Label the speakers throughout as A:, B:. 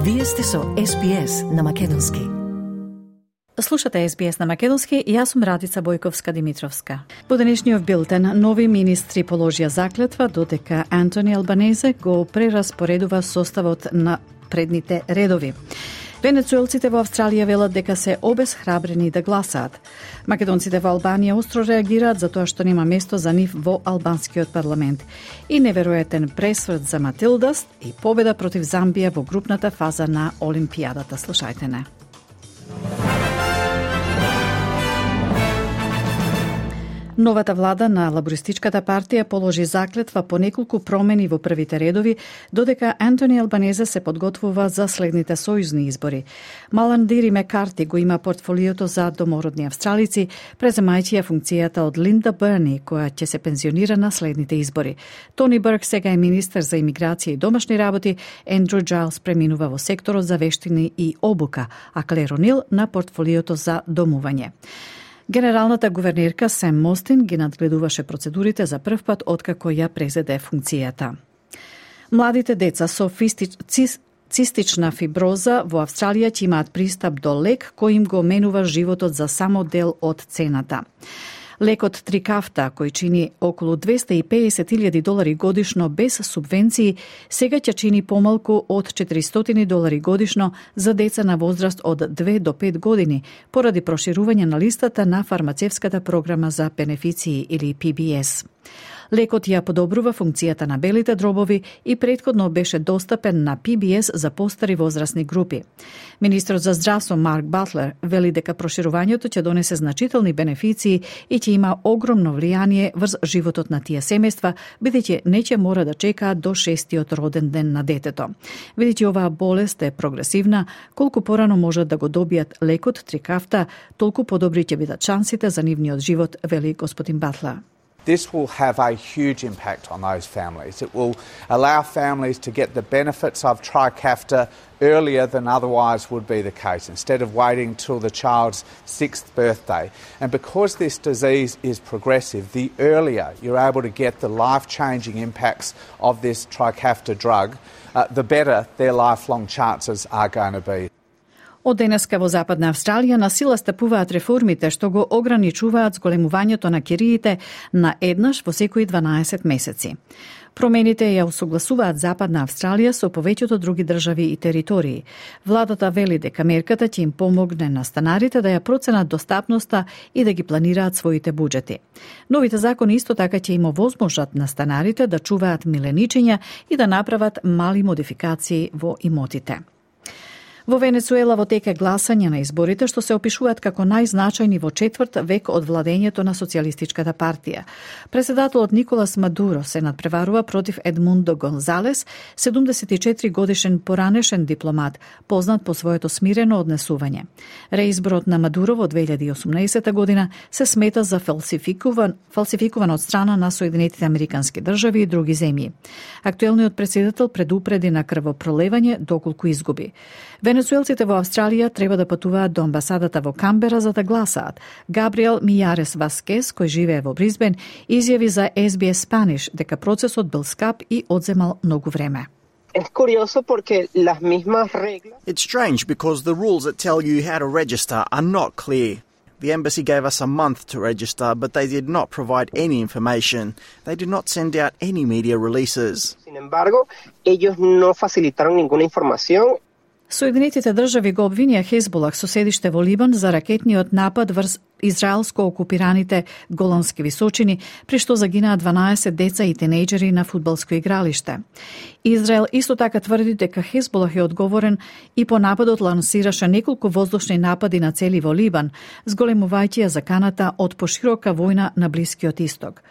A: Вие сте со SBS на Македонски.
B: Слушате SBS на Македонски и јас сум Радица Бојковска-Димитровска. По денешниот билтен, нови министри положија заклетва додека Антони Албанезе го прераспоредува составот на предните редови. Венецуелците во Австралија велат дека се обесхрабрени да гласаат. Македонците во Албанија остро реагираат за тоа што нема место за нив во албанскиот парламент. И неверојатен пресврт за Матилдас и победа против Замбија во групната фаза на Олимпијадата. Слушајте не. Новата влада на Лабористичката партија положи заклетва по неколку промени во првите редови, додека Антони Албанезе се подготвува за следните сојузни избори. Маландири Мекарти го има портфолиото за домородни австралици, преземајќи ја функцијата од Линда Берни, која ќе се пензионира на следните избори. Тони Бърк сега е министер за имиграција и домашни работи, Ендрю Джайлс преминува во секторот за вештини и обука, а Клер О'Нил на портфолиото за домување. Генералната гувернерка Сем Мостин ги надгледуваше процедурите за прв пат откако ја презеде функцијата. Младите деца со цистична фиброза во Австралија ќе имаат пристап до лек кој им го менува животот за само дел од цената. Лекот Трикафта, кој чини околу $250,000 годишно без субвенции, сега ќе чини помалку од $400 годишно за деца на возраст од 2 до 5 години, поради проширување на листата на фармацевската програма за бенефиции или PBS. Лекот ја подобрува функцијата на белите дробови и претходно беше достапен на PBS за постари возрастни групи. Министрот за здравство Марк Батлер вели дека проширувањето ќе донесе значителни бенефиции и ќе има огромно влијание врз животот на тие семејства, бидејќи не ќе мора да чекаат до 6-тиот роден ден на детето. Бидејќи оваа болест е прогресивна, колку порано можат да го добијат лекот Трикафта, толку подобри ќе бидат шансите за нивниот живот, вели господин Батлер.
C: This will have a huge impact on those families. It will allow families to get the benefits of Trikafta earlier than otherwise would be the case, instead of waiting till the child's 6th birthday. And because this disease is progressive, the earlier you're able to get the life-changing impacts of this Trikafta drug, the better their lifelong chances are going to be.
B: Од денеска во Западна Австралија на сила стапуваат реформите што го ограничуваат зголемувањето на кириите на еднаш во секои 12 месеци. Промените ја усогласуваат Западна Австралија со повеќето други држави и територии. Владата вели дека мерката ќе им помогне на станарите да ја проценат достапноста и да ги планираат своите буџети. Новите закони исто така ќе им овозможат на станарите да чуваат миленичења и да направат мали модификации во имотите. Во Венецуела во тек е гласање на изборите што се опишуваат како најзначајни во четврт век од владењето на Социјалистичката партија. Преседателот Николас Мадуро се надпреварува против Едмундо Гонзалес, 74 годишен поранешен дипломат, познат по своето смирено однесување. Реизборот на Мадуро во 2018 година се смета за фалсификуван од страна на Соединетите Американски држави и други земји. Актуелниот председател предупреди на крвопролевање доколку изгуби. Венецуелците во Австралија треба да патуваат до амбасадата во Камбера за да гласаат. Габриел Мијарес Васкес, кој живее во Брисбен, изјави за SBS Spanish дека процесот бил скап и одземал многу време.
D: Es curioso porque las mismas reglas.
E: It's strange because the rules that tell you how to register are not clear. The embassy gave us a month to register, but they did not provide any information. They did not send out any media releases.
D: Sin embargo, ellos no facilitaron ninguna información.
B: Соединетите држави го обвинија Хезболах со седиште во Либан за ракетниот напад врз израелско окупираните Голански височини, при што загинаа 12 деца и тинејџери на фудбалско игралиште. Израел исто така тврди дека Хезболах е одговорен и по нападот лансираше неколку воздушни напади на цели во Либан, зголемувајќи ја заканата од поширока војна на Блискиот Исток.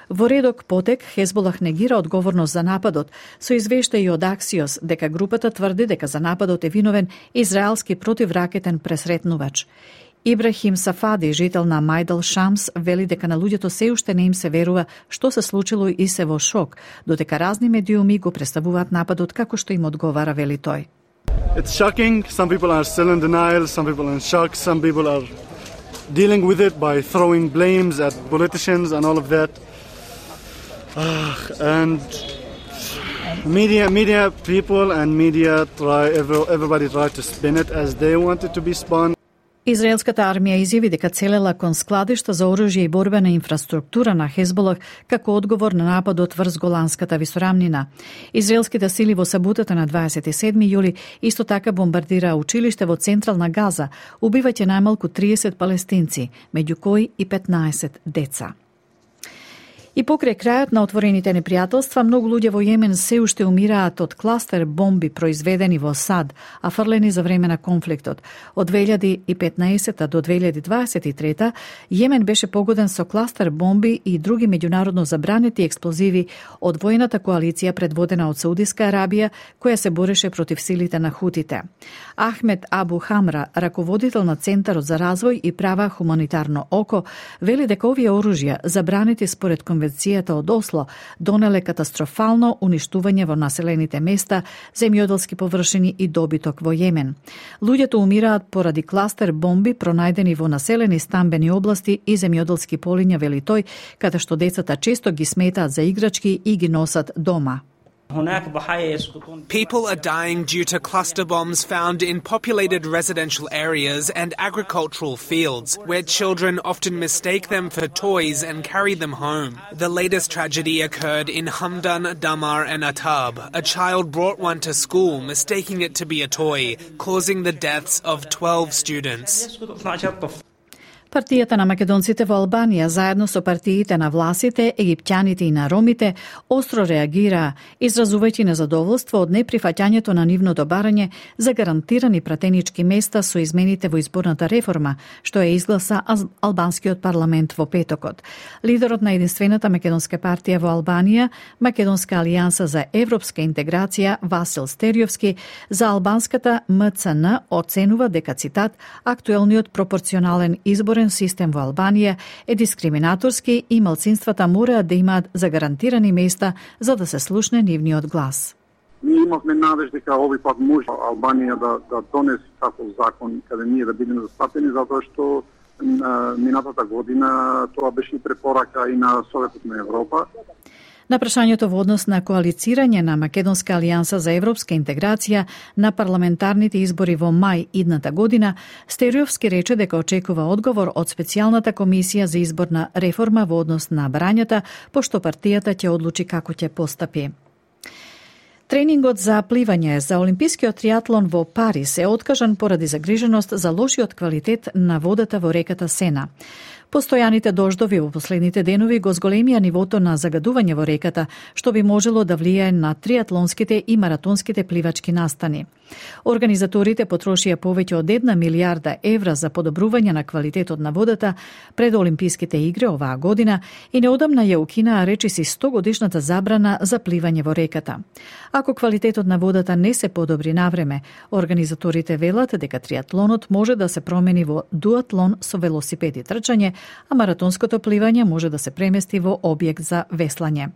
B: Во редок потек, Хезболах негира одговорност за нападот, со извештаи од Аксиос дека групата тврди дека за нападот е виновен израелски противракетен пресретнувач. Ибрахим Сафади, жител на Мајдал Шамс, вели дека на луѓето се уште не им се верува што се случило и се во шок, додека разни медиуми го представуваат нападот како што им одговара, вели тој.
F: It's shocking. Some people are still in denial, some people are in shock, some people are dealing with it by throwing blames at politicians and all of that. And Media people and media everybody try to spin it as they want it to be spun.
B: Израелската армија изјави дека целела кон складишта за оружје и борбена инфраструктура на Хезболах како одговор на нападот врз Голанската висорамнина. Израелските сили во саботата на 27 јули исто така бомбардира училиште во централна Газа, убивајќи најмалку 30 палестинци, меѓу кои и 15 деца. И покрај крајот на отворените непријателства, многу луѓе во Јемен се уште умираат од кластер бомби произведени во САД, а фрлени за време на конфликтот. Од 2015 до 2023 Јемен беше погоден со кластер бомби и други меѓународно забранети експлозиви од војната коалиција предводена од Саудиска Арабија, која се бореше против силите на хутите. Ахмед Абу Хамра, раководител на Центарот за развој и права хуманитарно око, вели дека овие оружја, забранети според Конвенцијата од Осло, донеле катастрофално уништување во населените места, земјоделски површини и добиток во Јемен. Луѓето умираат поради кластер бомби пронајдени во населени стамбени области и земјоделски полиња, вели тој, каде што децата често ги сметаат за играчки и ги носат дома.
G: People are dying due to cluster bombs found in populated residential areas and agricultural fields, where children often mistake them for toys and carry them home. The latest tragedy occurred in Hamdan, Damar and Atab. A child brought one to school, mistaking it to be a toy, causing the deaths of 12 students.
B: Партијата на македонците во Албанија, заедно со партиите на власите, египтјаните и на ромите, остро реагираа, изразувајќи незадоволство од неприфаќањето на нивното барање за гарантирани пратенички места со измените во изборната реформа, што е изгласа албанскиот парламент во петокот. Лидерот на единствената македонска партија во Албанија, Македонска алијанса за европска интеграција, Васил Стериовски, за албанската МЦН оценува дека, цитат, актуелниот пропорционален изборен систем во Албанија е дискриминаторски и малцинствата мораат да имаат загарантирани места за да се слушне нивниот глас.
H: Ние имавме надеж дека овој пат може Албанија да донесе таков закон каде ние да бидеме застапени, затоа што минатата година тоа беше препорака и на Советот на Европа.
B: На прашањето во однос на коалицирање на Македонска алијанса за европска интеграција на парламентарните избори во мај идната година, Стериовски рече дека очекува одговор од специјалната комисија за изборна реформа во однос на барањата, пошто партијата ќе одлучи како ќе постапи. Тренингот за пливање за олимпискиот триатлон во Париз е откажан поради загриженост за лошиот квалитет на водата во реката Сена. Постојаните дождови во последните денови го зголемија нивото на загадување во реката, што би можело да влијае на триатлонските и маратонските пливачки настани. Организаторите потрошија повеќе од 1 милијарда евра за подобрување на квалитетот на водата пред Олимписките игри оваа година и неодамна ја укинаа речиси 100-годишната забрана за пливање во реката. Ако квалитетот на водата не се подобри навреме, организаторите велат дека триатлонот може да се промени во дуатлон со велосипед и трчање, а маратонското пливање може да се премести во објект за веслање.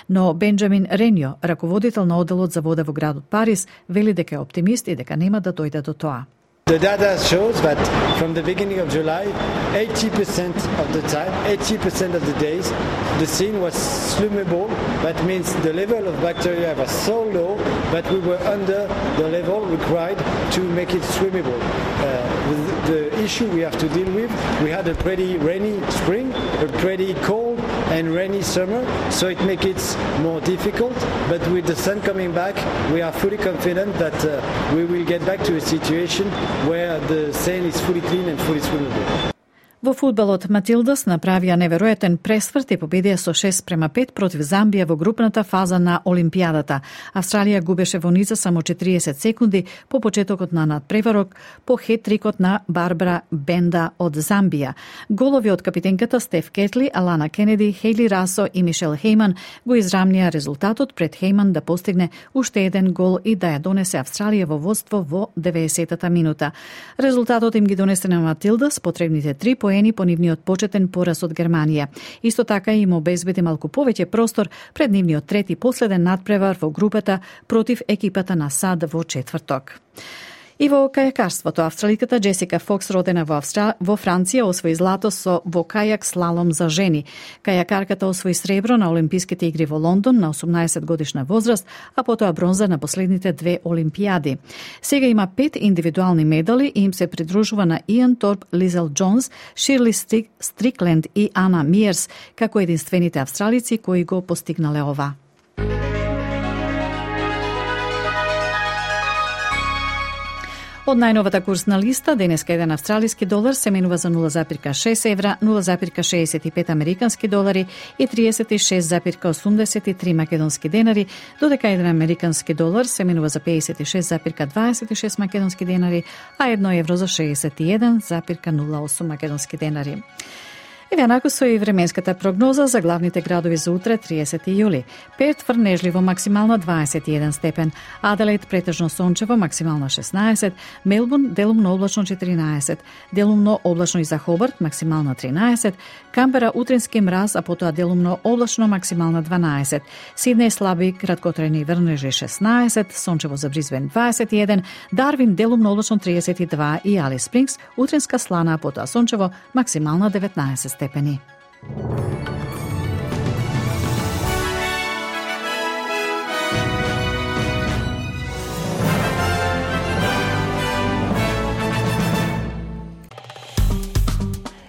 B: Но Бенџамин Ренјо, раководител на одделот за вода во градот Париз, вели дека е оптимист и дека нема да дојде до тоа.
I: The data shows that from the beginning of July, 80% of the time, 80% of the days, the Seine was swimmable. That means the level of bacteria was so low that we were under the level required to make it swimmable. The issue we have to deal with, we had a pretty rainy spring, a pretty cold and rainy summer, so it makes it more difficult. But with the sun coming back, we are fully confident that we will get back to a situation where the Seine is fully clean and fully swimmable.
B: Во фудбалот Матилдас направија неверојатен пресврт и победија со 6-5 против Замбија во групната фаза на Олимпијадата. Австралија губеше во низа само 40 секунди по почетокот на надпреварок по хет-трикот на Барбара Бенда од Замбија. Голови од капитенката Стеф Кетли, Алана Кенеди, Хейли Расо и Мишел Хейман го израмнија резултатот пред Хейман да постигне уште еден гол и да ја донесе Австралија во водство во 90-та минута. Резултатот им ги донесе на Матилдас потребните 3 поени по нивниот почетен пораз од Германија. Исто така им обезбеди малку повеќе простор пред нивниот трети последен надпревар во групата против екипата на САД во четврток. И во кајакарството, австраликата Джесика Фокс, родена во Франција, освои злато во кајак слалом за жени. Кајакарката освои сребро на Олимписките игри во Лондон на 18 годишна возраст, а потоа бронза на последните 2 олимпијади. Сега има 5 индивидуални медали и им се придружува на Иан Торп, Лизел Джонс, Ширли Стрикленд и Ана Миерс, како единствените австралици кои го постигнале ова. Од најновата курсна листа, денеска еден австралиски долар се менува за 0,6 евра, 0,65 американски долари и 36,83 македонски денари, додека еден американски долар се менува за 56,26 македонски денари, а 1 евро за 61,08 македонски денари. Еве онако со и временската прогноза за главните градови за утре, 30 јули. Перт врнежливо максимално 21 степен, Аделаид претежно сончево максимално 16, Мелбурн делумно облачно 14, делумно облачно и за Хобарт максимално 13, Камбера утрински мраз, а потоа делумно облачно максимално 12, Сиднеј слаби краткотрајни врнежи 16, сончево за Брисбен 21, Дарвин делумно облачно 32 и Алис Спрингс утринска слана, а потоа сончево максимално 19 степени.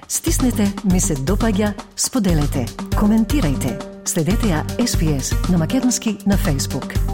A: Стиснете, ми се допаѓа, споделете, коментирајте. Следете ја SPS на Македонски на Facebook.